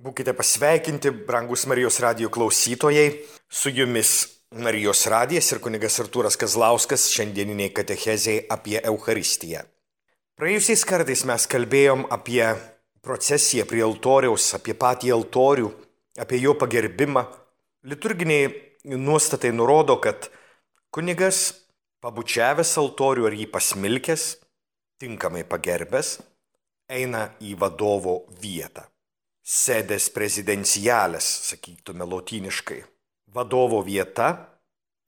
Būkite pasveikinti, brangus Marijos radijo klausytojai, su jumis Marijos radijas ir kunigas Artūras Kazlauskas šiandieniniai katechezei apie Eucharistiją. Praėjusiais kartais mes kalbėjom apie procesiją prie altoriaus, apie patį altorių, apie jo pagerbimą. Liturginiai nuostatai nurodo, kad kunigas, pabučiavęs altorių ar jį pasmilkęs, tinkamai pagerbęs, eina į vadovo vietą. Sedes prezidenciales, sakytume lotyniškai. Vadovo vieta,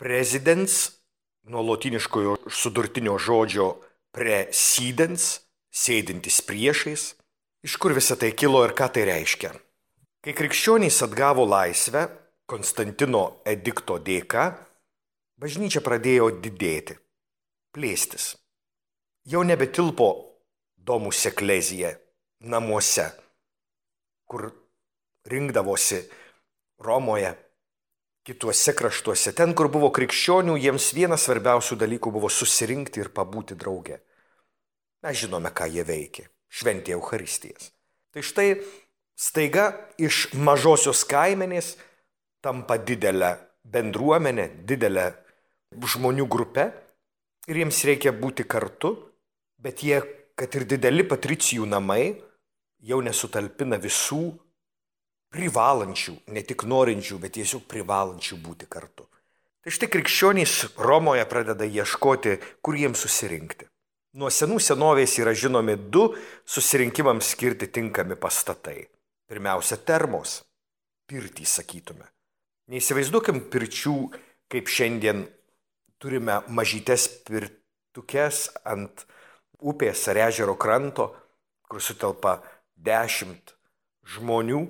prezidens, nuo lotyniškojo sudurtinio žodžio presidens, sėdintis priešais. Iš kur visa tai kilo ir ką tai reiškia? Kai krikščionys atgavo laisvę Konstantino edikto dėka, bažnyčia pradėjo didėti, plėstis. Jau nebetilpo domus eklezija namuose, kur rinkdavosi Romoje, kituose kraštuose. Ten, kur buvo krikščionių, jiems vienas svarbiausių dalykų buvo susirinkti ir pabūti drauge. Mes žinome, ką jie veikė. Šventė Eucharistijas. Tai štai staiga iš mažosios kaimenės tampa didelę bendruomenę, didelę žmonių grupę ir jiems reikia būti kartu, bet jie, kad ir dideli patricijų namai, jau nesutalpina visų privalančių, ne tik norinčių, bet tiesiog privalančių būti kartu. Tai štai krikščionys Romoje pradeda ieškoti, kur jiems susirinkti. Nuo senų senovės yra žinomi du susirinkimams skirti tinkami pastatai. Pirmiausia, termos, pirtys sakytume. Neįsivaizduokim pirčių, kaip šiandien turime mažytes pirtukes ant upės ar ežero kranto, kur sutelpa 10 žmonių.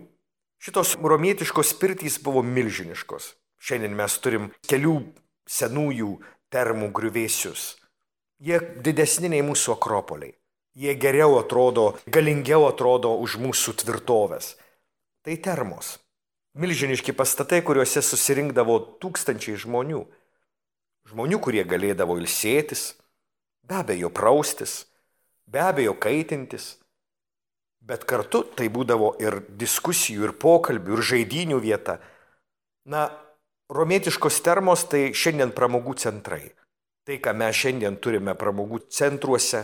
Šitos romietiškos pirtys buvo milžiniškos. Šiandien mes turim kelių senųjų termų griuvėsius. Jie didesni nei mūsų akropoliai. Jie geriau atrodo, galingiau atrodo už mūsų tvirtovės. Tai termos. Milžiniški pastatai, kuriuose susirinkdavo tūkstančiai žmonių. Žmonių, kurie galėdavo ilsėtis, be abejo praustis, be abejo kaitintis. Bet kartu tai būdavo ir diskusijų, ir pokalbių, ir žaidynių vieta. Romietiškos termos tai šiandien pramogų centrai. Tai, ką mes šiandien turime pramogų centruose,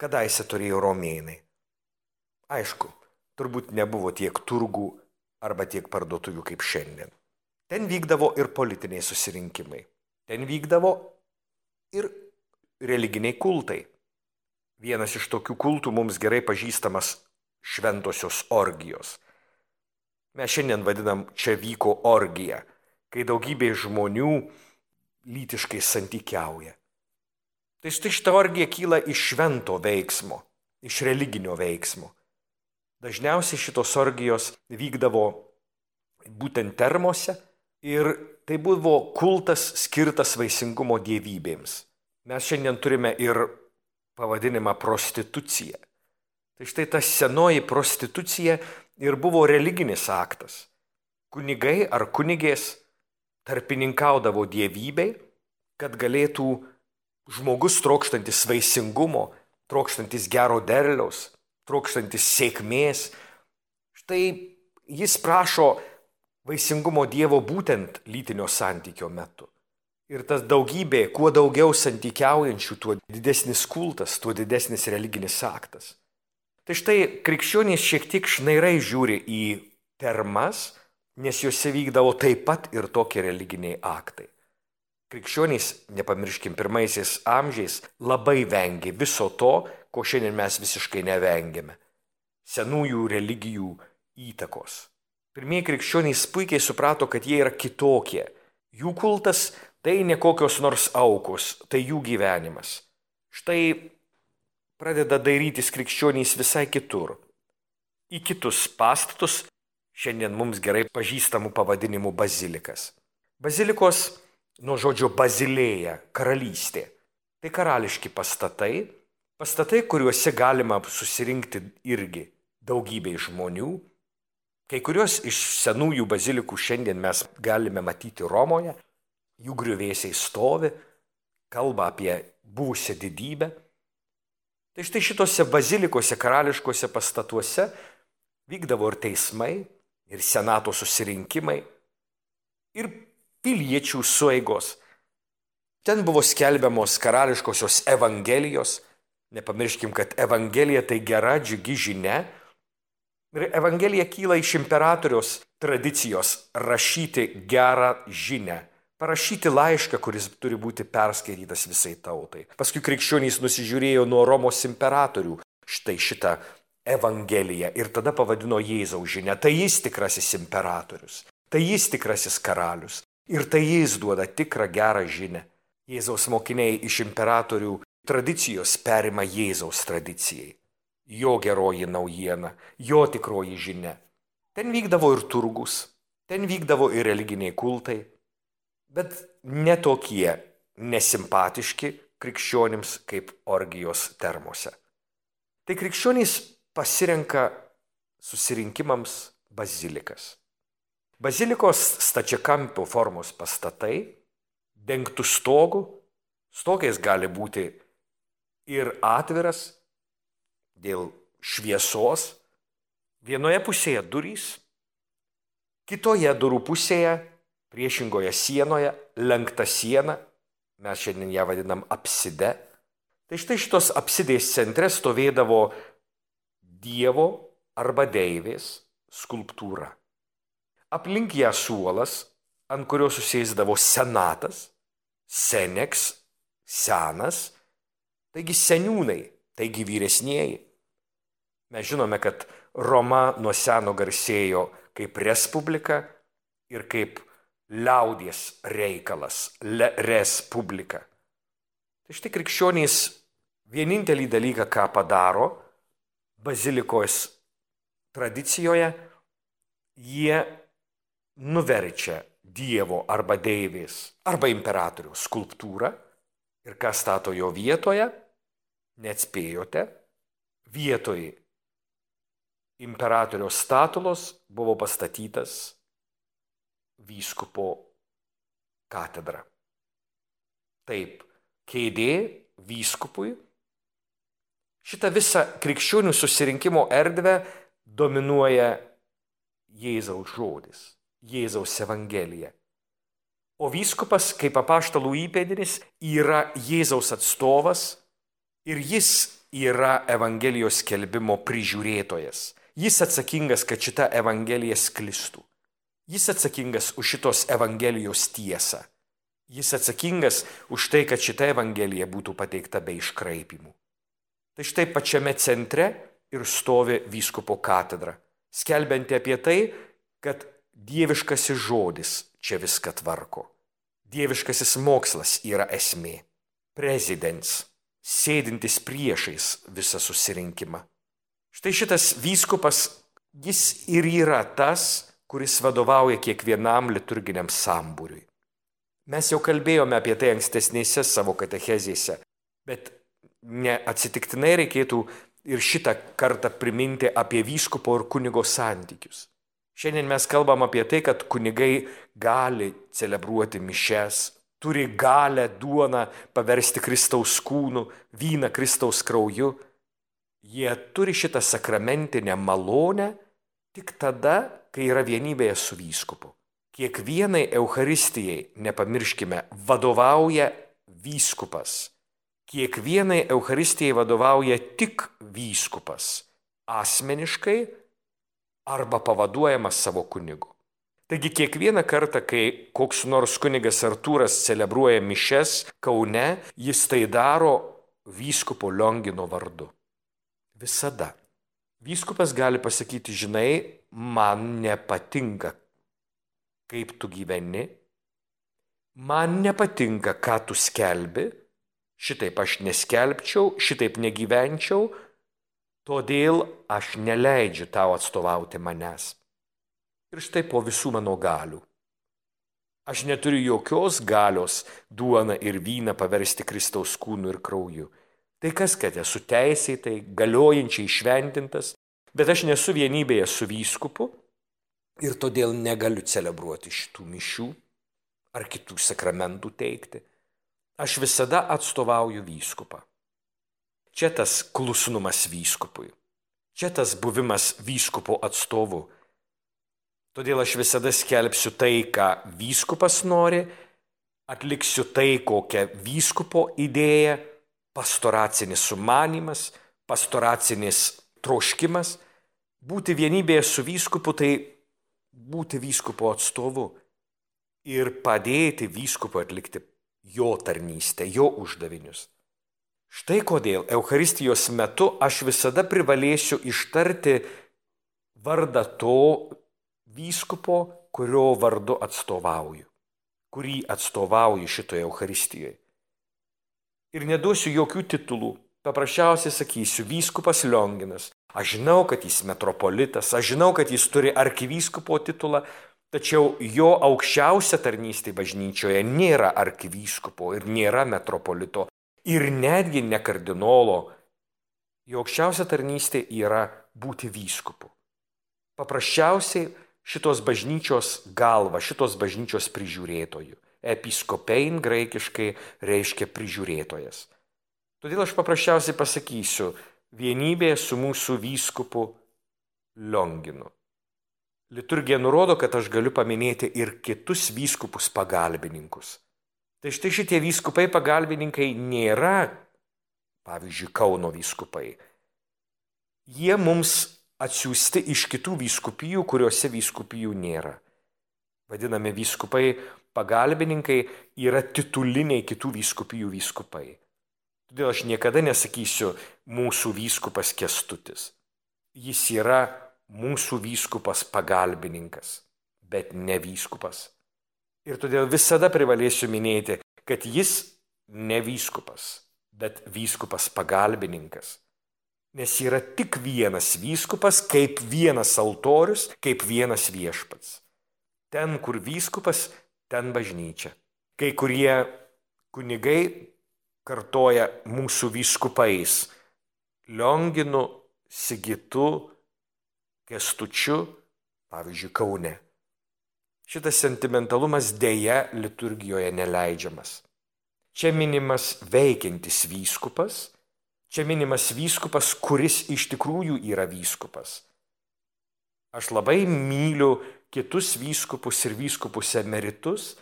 kadaise turėjo romėnai. Aišku, turbūt nebuvo tiek turgų arba tiek parduotuvių kaip šiandien. Ten vykdavo ir politiniai susirinkimai. Ten vykdavo ir religiniai kultai. Vienas iš tokių kultų mums gerai pažįstamas šventosios orgijos. Mes šiandien vadinam, čia vyko orgija, kai daugybė žmonių lytiškai santykiauja. Tai štai šita orgija kyla iš švento veiksmo, iš religinio veiksmo. Dažniausiai šitos orgijos vykdavo būtent termose ir tai buvo kultas skirtas vaisingumo dievybėms. Mes šiandien turime ir pavadinimą prostitucija. Tai štai ta senoji prostitucija ir buvo religinis aktas. Kunigai ar kunigės tarpininkaudavo dievybei, kad galėtų žmogus trokštantis vaisingumo, trokštantis gero derliaus, trokštantis sėkmės. Štai jis prašo vaisingumo Dievo būtent lytinio santykio metu. Ir tas daugybė, kuo daugiau santykiaujančių, tuo didesnis kultas, tuo didesnis religinis aktas. Tai štai krikščionys šiek tiek šnairai žiūri į termas, nes juose vykdavo taip pat ir tokie religiniai aktai. Krikščionys, nepamirškim, pirmaisiais amžiais labai vengė viso to, ko šiandien mes visiškai nevengėme. Senųjų religijų įtakos. Pirmieji krikščionys puikiai suprato, kad jie yra kitokie. Jų kultas tai ne kokios nors aukos, tai jų gyvenimas. Štai pradeda dairytis krikščionys visai kitur. Į kitus pastatus, šiandien mums gerai pažįstamų pavadinimų bazilikas. Bazilikos nuo žodžio bazilėja, karalystė. Tai karališki pastatai, kuriuose galima susirinkti irgi daugybei žmonių. Kai kurios iš senųjų bazilikų šiandien mes galime matyti Romoje. Jų griuvėsiai stovi, kalba apie buvusią didybę. Tai štai šitose bazilikose, karališkose pastatuose Vykdavo ir teismai, ir senato susirinkimai, ir piliečių sueigos. Ten buvo skelbiamos karališkosios evangelijos. Nepamirškim, kad evangelija tai gera, džiugi žinia. Ir evangelija kyla iš imperatoriaus tradicijos rašyti gerą žinią. Parašyti laišką, kuris turi būti perskaitytas visai tautai. Paskui krikščionys nusižiūrėjo nuo Romos imperatorių štai šitą evangeliją ir tada pavadino Jėzaus žinią. Tai jis tikrasis imperatorius, tai jis tikrasis karalius ir tai jis duoda tikrą gerą žinią. Jėzaus mokiniai iš imperatorių tradicijos perima Jėzaus tradicijai. Jo geroji naujiena, jo tikroji žinia. Ten vykdavo ir turgus, ten vykdavo ir religiniai kultai, bet ne tokie nesimpatiški krikščionims kaip orgijos termose. Tai krikščionys pasirenka susirinkimams bazilikas. Bazilikos stačiakampio formos pastatai, dengtų stogų, stogais gali būti ir atviras dėl šviesos, vienoje pusėje durys, kitoje durų pusėje, priešingoje sienoje, lenkta siena, mes šiandien ją vadinam apside. Tai štai šitos apsidės centre stovėdavo Dievo arba deivės skulptūra. Aplink ją suolas, ant kurio susėsdavo senatas, seneks, senas, taigi seniūnai, taigi vyresnieji. Mes žinome, kad Roma nuo seno garsėjo kaip respublika ir kaip liaudies reikalas, respublika. Tai štai krikščionys vienintelį dalyką, ką padaro bazilikos tradicijoje, jie nuverčia Dievo arba deivės arba imperatoriaus skulptūrą ir ką stato jo vietoje, neatspėjote, vietoj imperatoriaus statulos buvo pastatytas vyskupo katedra. Taip, kėdė vyskupui. Šitą visą krikščionių susirinkimo erdvę dominuoja Jėzaus žodis, Jėzaus evangelija. O vyskupas, kaip apaštalų įpėdinis, yra Jėzaus atstovas ir jis yra evangelijos skelbimo prižiūrėtojas. Jis atsakingas, kad šita evangelija sklistų. Jis atsakingas už šitos evangelijos tiesą. Jis atsakingas už tai, kad šita evangelija būtų pateikta be iškraipimų. Tai štai pačiame centre ir stovi vyskupo katedra, skelbianti apie tai, kad dieviškasis žodis čia viską tvarko. Dieviškasis mokslas yra esmė. Prezidents, sėdintis priešais visą susirinkimą. Štai šitas vyskupas, jis ir yra tas, kuris vadovauja kiekvienam liturginiam sambūriui. Mes jau kalbėjome apie tai ankstesnėse savo katechezėse, bet neatsitiktinai reikėtų ir šitą kartą priminti apie vyskupo ir kunigo santykius. Šiandien mes kalbam apie tai, kad kunigai gali celebruoti mišes, turi galę duoną paversti Kristaus kūnu, vyną Kristaus krauju. Jie turi šitą sakramentinę malonę tik tada, kai yra vienybėje su vyskupu. Kiekvienai Eucharistijai, nepamirškime, vadovauja vyskupas. Kiekvienai Eucharistijai vadovauja tik vyskupas, asmeniškai arba pavaduojamas savo kunigu. Taigi kiekvieną kartą, kai koks nors kunigas Artūras celebruoja mišes Kaune, jis tai daro vyskupo Liongino vardu. Visada. Vyskupas gali pasakyti, žinai, man nepatinka, kaip tu gyveni, man nepatinka, ką tu skelbi, šitaip aš neskelbčiau, šitaip negyvenčiau, todėl aš neleidžiu tau atstovauti manęs. Ir štai po visų mano galių. Aš neturiu jokios galios duoną ir vyną paversti Kristaus kūnu ir krauju. Tai kas, kad esu teisėtai, galiojančiai šventintas, bet aš nesu vienybėje su vyskupu ir todėl negaliu celebruoti šitų mišių ar kitų sakramentų teikti. Aš visada atstovauju vyskupą. Čia tas klusnumas vyskupui. Čia tas buvimas vyskupo atstovu. Todėl aš visada skelbsiu tai, ką vyskupas nori, atliksiu tai, kokią vyskupo idėja, pastoracinis sumanymas, pastoracinis troškimas. Būti vienybėje su vyskupu tai būti vyskupo atstovu ir padėti vyskupui atlikti jo tarnystę, jo uždavinius. Štai kodėl Eucharistijos metu aš visada privalėsiu ištarti vardą to vyskupo, kurio vardu atstovauju, kurį atstovauju šitoje Eucharistijoje. Ir neduosiu jokių titulų, paprasčiausiai sakysiu vyskupas Lionginas. Aš žinau, kad jis metropolitas, aš žinau, kad jis turi arkivyskupo titulą, tačiau jo aukščiausia tarnystė bažnyčioje nėra arkivyskupo ir nėra metropolito ir netgi ne kardinolo. Jo aukščiausia tarnystė yra būti vyskupu. Paprasčiausiai šitos bažnyčios galva, šitos bažnyčios prižiūrėtojų. Episkopein graikiškai reiškia prižiūrėtojas. Todėl aš paprasčiausiai pasakysiu vienybė su mūsų vyskupu Lionginu. Liturgija nurodo, kad aš galiu paminėti ir kitus vyskupus pagalbininkus. Tai štai šitie vyskupai pagalbininkai nėra, pavyzdžiui, Kauno vyskupai. Jie mums atsiųsti iš kitų vyskupijų, kuriuose vyskupijų nėra. Vadinami vyskupai pagalbininkai yra tituliniai kitų vyskupijų vyskupai. Todėl aš niekada nesakysiu mūsų vyskupas Kęstutis. Jis yra mūsų vyskupas pagalbininkas, bet ne vyskupas. Ir todėl visada privalėsiu minėti, kad jis ne vyskupas, bet vyskupas pagalbininkas. Nes yra tik vienas vyskupas, kaip vienas altorius, kaip vienas viešpats. Ten, kur vyskupas, ten bažnyčia. Kai kurie kunigai kartoja mūsų vyskupais Lionginu, Sigitu, Kęstučiu, pavyzdžiui, Kaune. Šitas sentimentalumas dėja liturgijoje neleidžiamas. Čia minimas veikiantis vyskupas, čia minimas vyskupas, kuris iš tikrųjų yra vyskupas. Aš labai myliu kitus vyskupus ir vyskupus emeritus,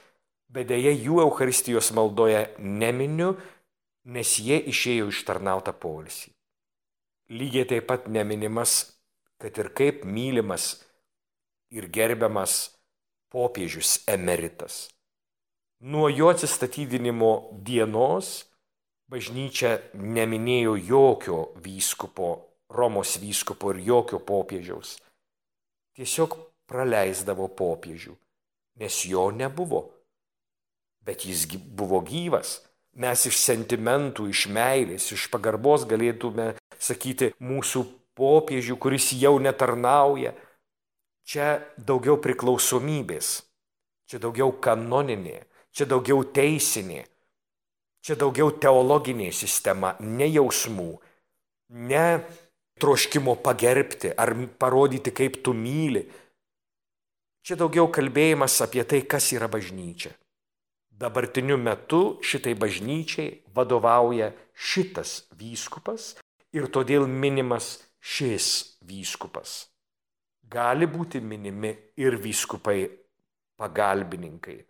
bet dėja jų Eucharistijos maldoje neminiu, nes jie išėjo ištarnautą poilsį. Lygiai taip pat neminimas, kad ir kaip mylimas ir gerbiamas popiežius emeritas. Nuo jo atsistatydinimo dienos bažnyčia neminėjo jokio vyskupo, Romos vyskupo ir jokio popiežiaus. Tiesiog praleisdavo popiežių, nes jo nebuvo. Bet jis buvo gyvas. Mes iš sentimentų, iš meilės, iš pagarbos galėtume sakyti mūsų popiežių, kuris jau netarnauja. Čia daugiau priklausomybės, čia daugiau kanoninė, čia daugiau teisinė, čia daugiau teologinė sistema, ne jausmų, ne troškimo pagerbti ar parodyti, kaip tu myli. Čia daugiau kalbėjimas apie tai, kas yra bažnyčia. Dabartiniu metu šitai bažnyčiai vadovauja šitas vyskupas ir todėl minimas šis vyskupas. Gali būti minimi ir vyskupai pagalbininkai,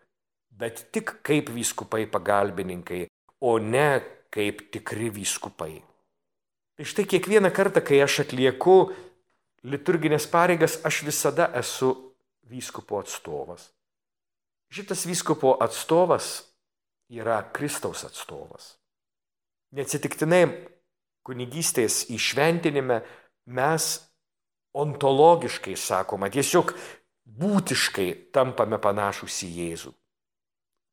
bet tik kaip vyskupai pagalbininkai, o ne kaip tikri vyskupai. Tai štai kiekvieną kartą, kai aš atlieku liturginės pareigas, aš visada esu vyskupo atstovas. Šitas vyskupo atstovas yra Kristaus atstovas. Neatsitiktinai kunigystės įšventinime mes ontologiškai sakoma, tiesiog būtiškai tampame panašūs į Jėzų.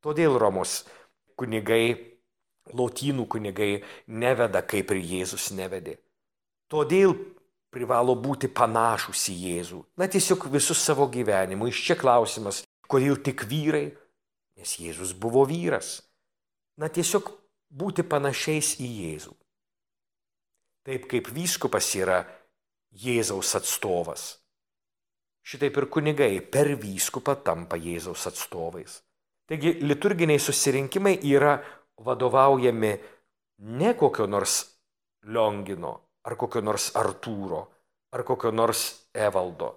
Todėl Romos kunigai, lotynų kunigai neveda, kaip ir Jėzus nevedė. Todėl privalo būti panašūs į Jėzų. Na tiesiog visus savo gyvenimu. Iš čia klausimas, kodėl tik vyrai? Nes Jėzus buvo vyras. Na tiesiog būti panašiais į Jėzų. Taip kaip vyskupas yra Jėzaus atstovas. Šitaip ir kunigai per vyskupą tampa Jėzaus atstovais. Taigi liturginiai susirinkimai yra vadovaujami ne kokio nors Liongino ar kokio nors Artūro ar kokio nors Evaldo,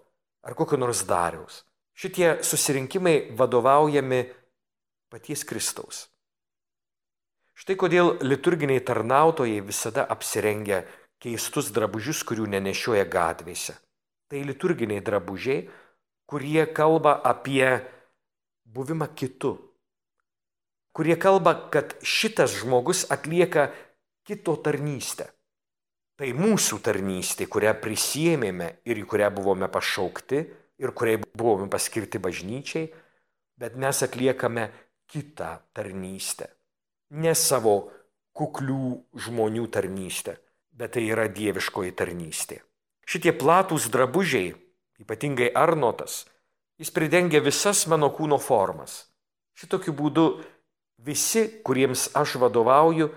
ar kokio nors Dariaus. Šitie susirinkimai vadovaujami paties Kristaus. Štai kodėl liturginiai tarnautojai visada apsirengia keistus drabužius, kurių nenešioja gatvėse. Tai liturginiai drabužiai, kurie kalba apie buvimą kitu, kurie kalba, kad šitas žmogus atlieka kito tarnystę. Tai mūsų tarnystė, kurią prisiėmėme ir į kurią buvome pašaukti ir kuriai buvome paskirti bažnyčiai, bet mes atliekame kitą tarnystę. Ne savo kuklių žmonių tarnystę, bet tai yra dieviškoji tarnystė. Šitie platūs drabužiai, ypatingai Arnotas, jis pridengia visas mano kūno formas. Šitokiu būdu visi, kuriems aš vadovauju,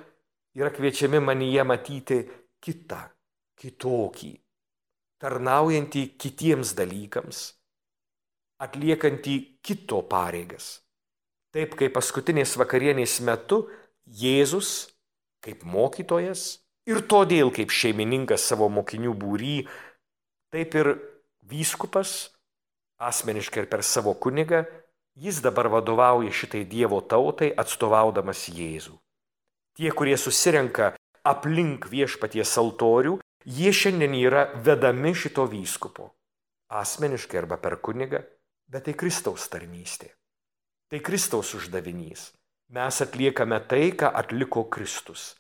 yra kviečiami manyje matyti kitą, kitokį, tarnaujantį kitiems dalykams, atliekantį kito pareigas. Taip kaip paskutinės vakarienės metu Jėzus, kaip mokytojas ir todėl kaip šeimininkas savo mokinių būry, taip ir vyskupas, asmeniškai ir per savo kunigą, jis dabar vadovauja šitai Dievo tautai, atstovaudamas Jėzų. Tie, kurie susirenka aplink viešpaties altorių, jie šiandien yra vedami šito vyskupo, asmeniškai arba per kunigą, bet tai Kristaus tarnystė. Tai Kristaus uždavinys. Mes atliekame tai, ką atliko Kristus.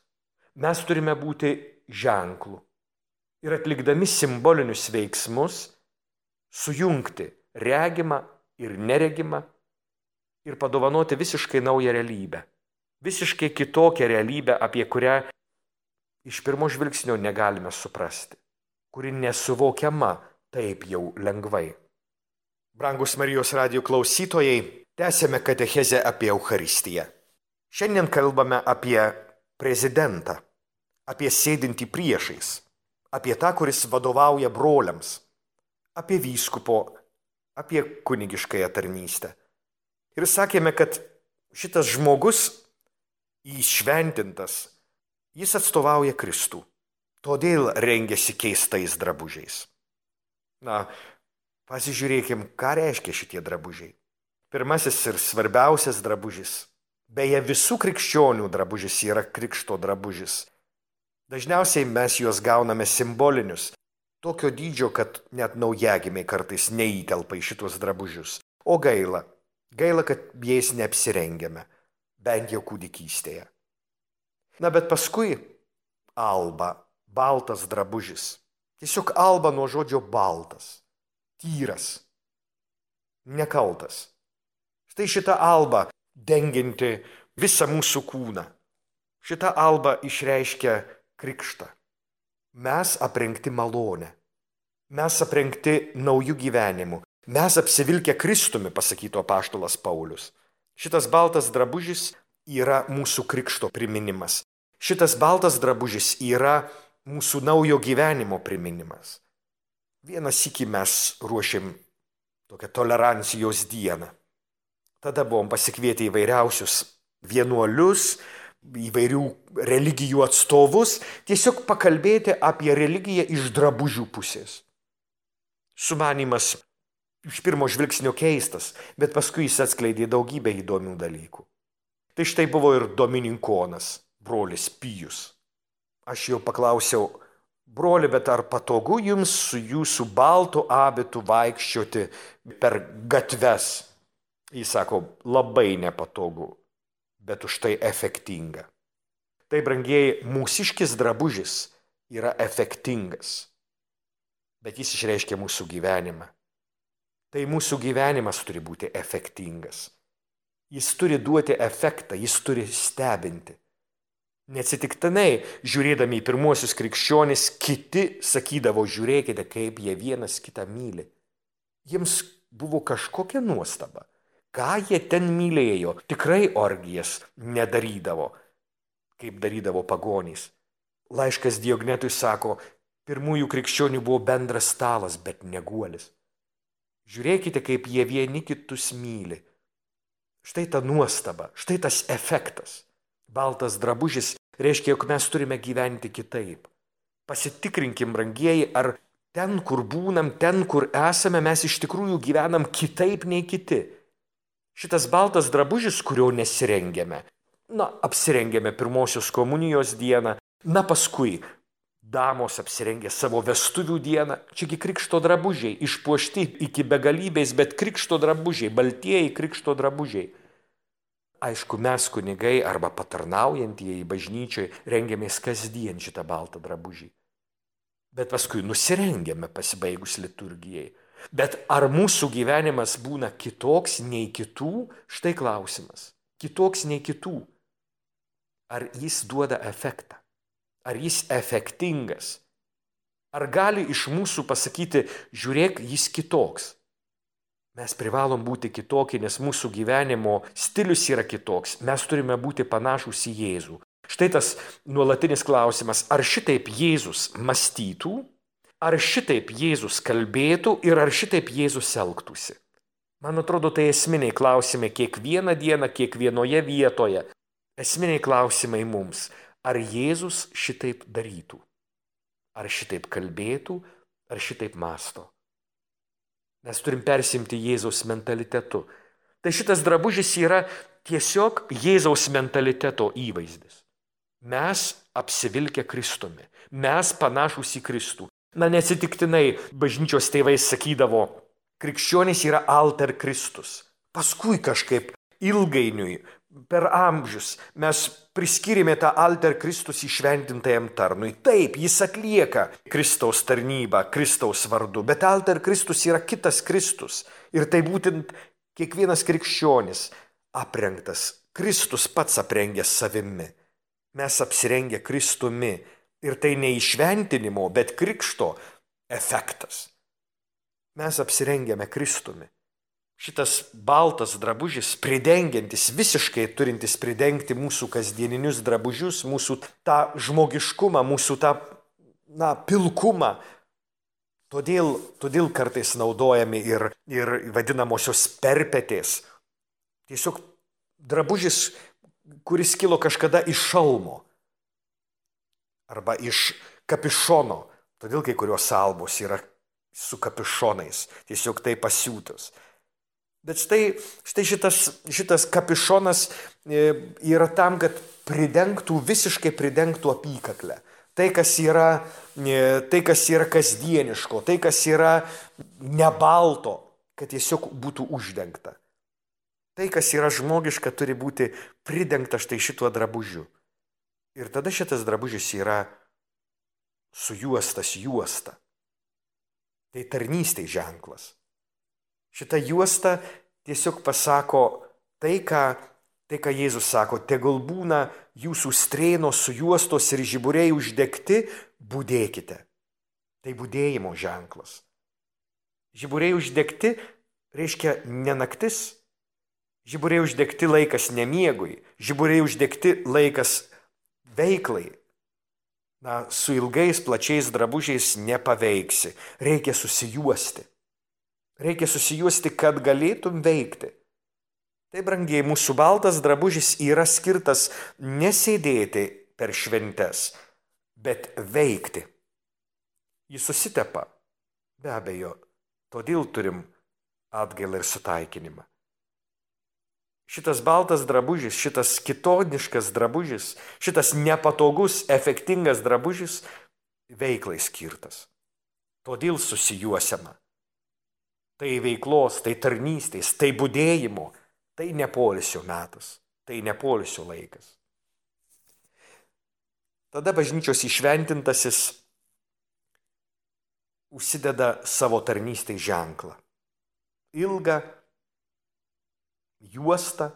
Mes turime būti ženklu ir atlikdami simbolinius veiksmus sujungti regimą ir neregimą ir padovanoti visiškai naują realybę. Visiškai kitokią realybę, apie kurią iš pirmo žvilgsnio negalime suprasti, kuri nesuvokiama taip jau lengvai. Brangus Marijos radijo klausytojai, tęsiame katechezę apie Eucharistiją. Šiandien kalbame apie prezidentą, apie sėdintį priešais, apie tą, kuris vadovauja broliams, apie vyskupo, apie kunigiškąją tarnystę. Ir sakėme, kad šitas žmogus įšventintas, jis atstovauja Kristų, todėl rengiasi keistais drabužiais. Pasižiūrėkim, ką reiškia šitie drabužiai. Pirmasis ir svarbiausias drabužis, beje visų krikščionių drabužis yra krikšto drabužis. Dažniausiai mes juos gauname simbolinius, tokio dydžio, kad net naujagimiai kartais neįtelpa į šitos drabužius. O gaila, kad jais neapsirengiame, bent jau kūdikystėje. Bet paskui alba, baltas drabužis. Tiesiog alba nuo žodžio baltas, tyras, nekaltas. Štai šita alba dengianti visą mūsų kūną. Šita alba išreiškia krikštą. Mes aprengti malonę. Mes aprengti naujų gyvenimų. Mes apsivilkę Kristumi, pasakytų apaštalas Paulius. Šitas baltas drabužis yra mūsų krikšto priminimas. Šitas baltas drabužis yra mūsų naujo gyvenimo priminimas. Vieną sykį mes ruošėm tokią tolerancijos dieną. Tada buvom pasikvietę įvairiausius vienuolius, įvairių religijų atstovus, tiesiog pakalbėti apie religiją iš drabužių pusės. Sumanymas iš pirmo žvilgsnio keistas, bet paskui jis atskleidė daugybę įdomių dalykų. Tai štai buvo ir dominikonas, brolis Pijus. Aš jo paklausiau, broli, bet ar patogu jums su jūsų baltu abitu vaikščioti per gatves? Jis sako, labai nepatogu, bet už tai efektinga. Tai, brangieji, mūsiškis drabužis yra efektingas, bet jis išreiškia mūsų gyvenimą. Tai mūsų gyvenimas turi būti efektingas. Jis turi duoti efektą, jis turi stebinti. Neatsitiktinai, žiūrėdami į pirmuosius krikščionis, kiti sakydavo, žiūrėkite, kaip jie vienas kitą myli. Jiems buvo kažkokia nuostaba. Ką jie ten mylėjo? Tikrai orgijas nedarydavo, kaip darydavo pagonys. Laiškas Diognetui sako, pirmųjų krikščionių buvo bendras stalas, bet ne guolis. Žiūrėkite, kaip jie vieni kitus myli. Štai ta nuostaba, štai tas efektas. Baltas drabužis reiškia, jog mes turime gyventi kitaip. Pasitikrinkim, brangieji, ar ten, kur būnam, ten, kur esame, mes iš tikrųjų gyvenam kitaip nei kiti. Šitas baltas drabužis, kurio nesirengėme. Apsirengėme pirmosios komunijos dieną, paskui damos apsirengė savo vestuvių dieną. Čiagi krikšto drabužiai, išpuošti iki begalybės, bet krikšto drabužiai, baltieji krikšto drabužiai. Aišku, mes kunigai arba patarnaujantieji bažnyčioje rengiamės kasdien šitą baltą drabužį. Bet paskui nusirengėme pasibaigus liturgijai. Bet ar mūsų gyvenimas būna kitoks nei kitų? Štai klausimas. Kitoks nei kitų. Ar jis duoda efektą? Ar jis efektingas? Ar gali iš mūsų pasakyti, žiūrėk, jis kitoks? Mes privalom būti kitokie, nes mūsų gyvenimo stilius yra kitoks. Mes turime būti panašūs į Jėzų. Štai tas nuolatinis klausimas, ar šitaip Jėzus mąstytų, ar šitaip Jėzus kalbėtų ir ar šitaip Jėzus elgtųsi. Man atrodo, tai esminiai klausimai kiekvieną dieną, kiekvienoje vietoje. Esminiai klausimai mums, ar Jėzus šitaip darytų, ar šitaip kalbėtų, ar šitaip mąsto. Mes turim persimti Jėzaus mentalitetu. Tai šitas drabužis yra tiesiog Jėzaus mentaliteto įvaizdis. Mes apsivilkę Kristumi. Mes panašūs į Kristų. Neatsitiktinai bažnyčios tėvai sakydavo, krikščionys yra alter Kristus. Paskui kažkaip ilgainiui, per amžius, mes priskyrėme tą alter Kristus įšventintajam tarnui. Taip, jis atlieka Kristaus tarnybą, Kristaus vardu, bet alter Kristus yra kitas Kristus. Ir tai būtent kiekvienas krikščionis aprengtas. Kristus pats aprengęs savimi. Mes apsirengę Kristumi. Ir tai ne įšventinimo, bet krikšto efektas. Mes apsirengėme Kristumi. Šitas baltas drabužis, pridengiantis, visiškai turintis pridengti mūsų kasdieninius drabužius, mūsų tą žmogiškumą, mūsų tą pilkumą. Todėl kartais naudojami ir vadinamosios perpetės. Tiesiog drabužis, kuris kilo kažkada iš šalmo arba iš kapišono. Todėl kai kurios albos yra su kapišonais, tiesiog tai pasiūtos. Bet štai šitas kapišonas yra tam, kad visiškai pridengtų apykaklę. Tai, kas yra kasdieniško, tai, kas yra nebalto, kad tiesiog būtų uždengta. Tai, kas yra žmogiška, turi būti pridengta štai šituo drabužiu. Ir tada šitas drabužis yra sujuostas juosta. Tai tarnystės ženklas. Šita juosta tiesiog pasako tai, ką Jėzus sako, tegul būna jūsų strėnos sujuostos ir žiburiai uždegti, budėkite. Tai budėjimo ženklas. Žiburiai uždegti reiškia ne naktis. Žiburiai uždegti laikas nemiegui. Žiburiai uždegti laikas veiklai. Su ilgais, plačiais drabužiais nepaveiksi. Reikia susijuosti. Reikia susijuosti, kad galėtum veikti. Tai, brangiai, mūsų baltas drabužis yra skirtas nesėdėti per šventes, bet veikti. Jis susitepa, be abejo, todėl turim atgailą ir sutaikinimą. Šitas baltas drabužis, šitas kitoniškas drabužis, šitas nepatogus, efektingas drabužis veiklai skirtas. Todėl susijuosiama. Tai veiklos, tai tarnystės, tai budėjimo, tai ne poilsio metas, tai ne poilsio laikas. Tada bažnyčios įšventintasis užsideda savo tarnystės ženklą. Ilgą juostą,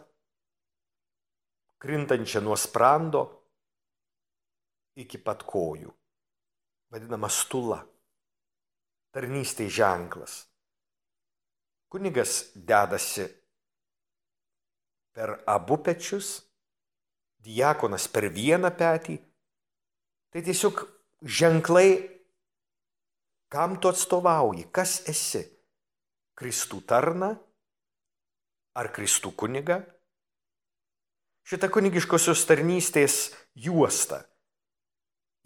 krintančią nuo sprando iki pat kojų, vadinama stula, tarnystės ženklas. Kunigas dedasi per abu pečius, diakonas per vieną petį. Tai tiesiog ženklai, kam tu atstovauji, kas esi. Kristų tarną ar Kristų kunigą? Šita kunigiškosios tarnystės juosta.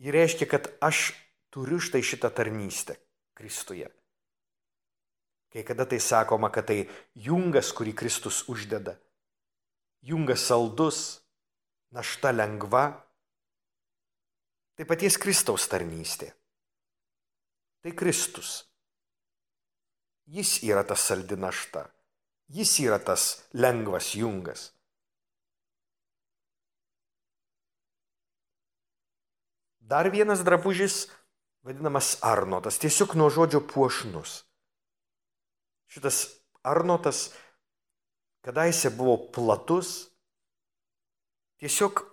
Ji reiškia, kad aš turiu štai šitą tarnystę. Kristuje. Kai kada tai sakoma, kad tai jungas, kurį Kristus uždeda. Jungas saldus, našta lengva. Tai paties Kristaus tarnystė. Tai Kristus. Jis yra tas saldi našta. Jis yra tas lengvas jungas. Dar vienas drabužis, vadinamas arnotas, tiesiog nuo žodžio puošnus. Šitas arnotas kadaise buvo platus, tiesiog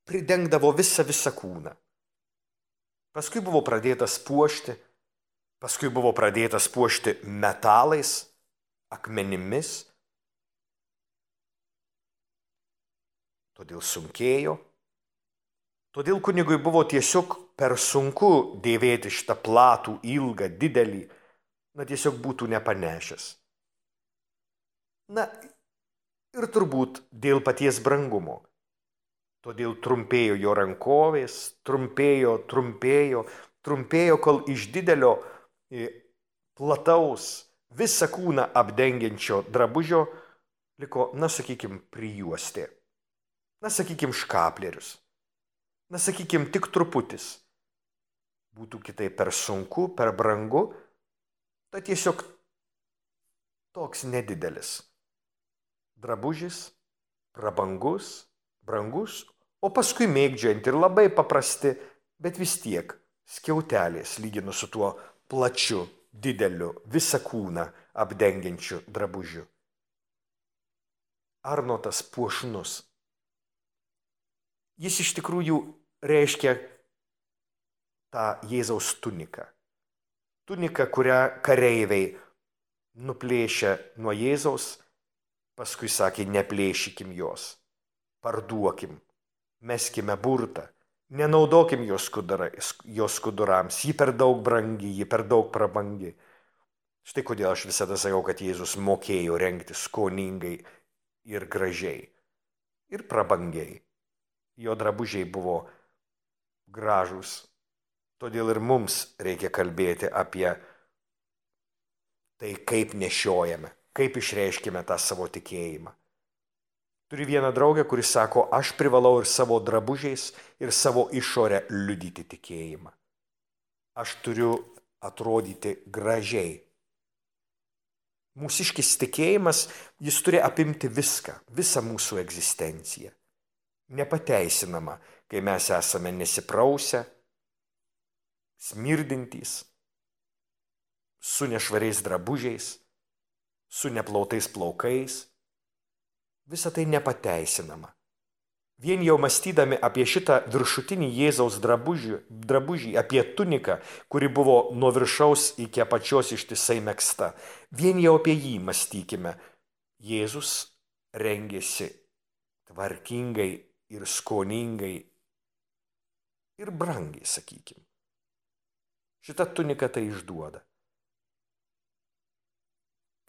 pridengdavo visą kūną. Paskui buvo pradėtas puošti metalais, akmenimis, todėl sunkėjo. Todėl kunigui buvo tiesiog per sunku dėvėti šitą platų, ilgą, didelį, tiesiog būtų nepanešęs. Ir turbūt dėl paties brangumo. Todėl trumpėjo jo rankovės, trumpėjo, kol iš didelio, plataus, visą kūną apdengiančio drabužio liko, prijuostė. Škaplerius. Tik truputis. Būtų kitaip per sunku, per brangu, tai tiesiog toks nedidelis. Drabužis, prabangus, brangus, o paskui mėgdžiojant ir labai paprasti, bet vis tiek skiautelės lyginus su tuo plačiu, dideliu, visą kūną apdengiančiu drabužiu. Arnotas puošnus. Jis iš tikrųjų reiškia tą Jėzaus tuniką. Tunika, kurią kareiviai nuplėšė nuo Jėzaus, paskui sakė, neplėšykim jos, parduokim, meskime burtą, nenaudokim jos skudurams, ji per daug brangi, ji per daug prabangi. Štai kodėl aš visada sakau, kad Jėzus mokėjo rengti skoningai ir gražiai, ir prabangiai. Jo drabužiai buvo gražūs. Todėl ir mums reikia kalbėti apie tai, kaip nešiojame, kaip išreiškime tą savo tikėjimą. Turiu vieną draugę, kuris sako, aš privalau ir savo drabužiais, ir savo išorę liudyti tikėjimą. Aš turiu atrodyti gražiai. Mūsiškis tikėjimas, jis turi apimti viską, visą mūsų egzistenciją. Nepateisinama, kai mes esame nesiprausę, smirdintys, su nešvariais drabužiais, su neplautais plaukais. Visa tai nepateisinama. Vien jau mąstydami apie šitą viršutinį Jėzaus drabužį, apie tuniką, kuri buvo nuo viršaus iki apačios ištisai megzta, vien jau apie jį mąstykime. Jėzus rengėsi tvarkingai ir skoningai ir brangiai, sakykim. Šita tunika tai išduoda.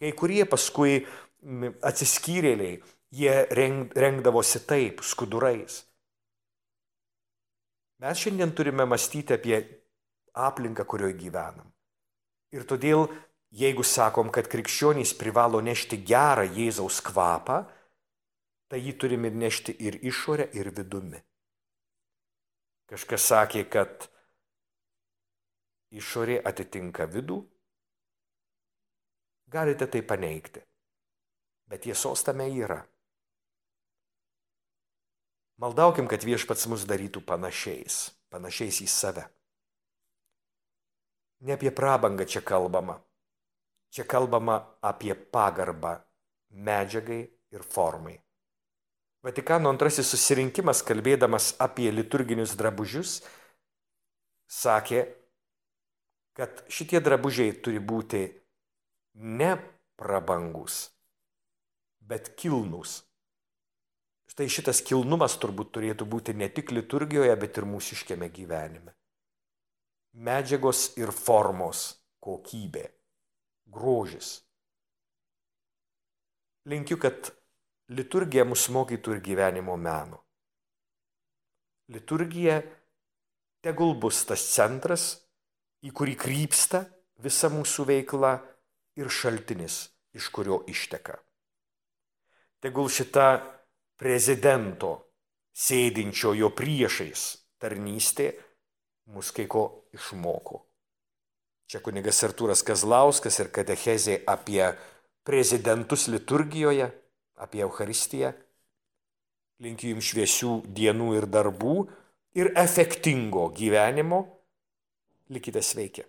Kai kurie paskui atsiskyrėliai, jie rengdavosi taip, skudurais. Mes šiandien turime mąstyti apie aplinką, kurioje gyvenam. Ir todėl, jeigu sakom, kad krikščionys privalo nešti gerą Jėzaus kvapą, tai jį turime nešti ir išorę, ir vidumi. Kažkas sakė, kad išorė atitinka vidų. Galite tai paneigti, bet tiesos tame yra. Maldaukim, kad Viešpats mus darytų panašiais į save. Ne apie prabangą čia kalbama. Čia kalbama apie pagarbą medžiagai ir formai. Vatikano antrasis susirinkimas, kalbėdamas apie liturginius drabužius, sakė, kad šitie drabužiai turi būti ne prabangus, bet kilnūs. Štai šitas kilnumas turbūt turėtų būti ne tik liturgijoje, bet ir mūsiškiame gyvenime. Medžiagos ir formos kokybė, grožis. Linkiu, kad liturgija mus mokytų ir gyvenimo meno. Liturgija tegul bus tas centras, į kurį krypsta visa mūsų veikla ir šaltinis, iš kurio išteka. Tegul šita prezidento sėdinčio jo priešais tarnystė mus kai ko išmoko. Čia kunigas Artūras Kazlauskas ir katechezė apie prezidentus liturgijoje, apie Eucharistiją. Linkiu jums šviesių dienų ir darbų ir efektingo gyvenimo. Likite sveiki.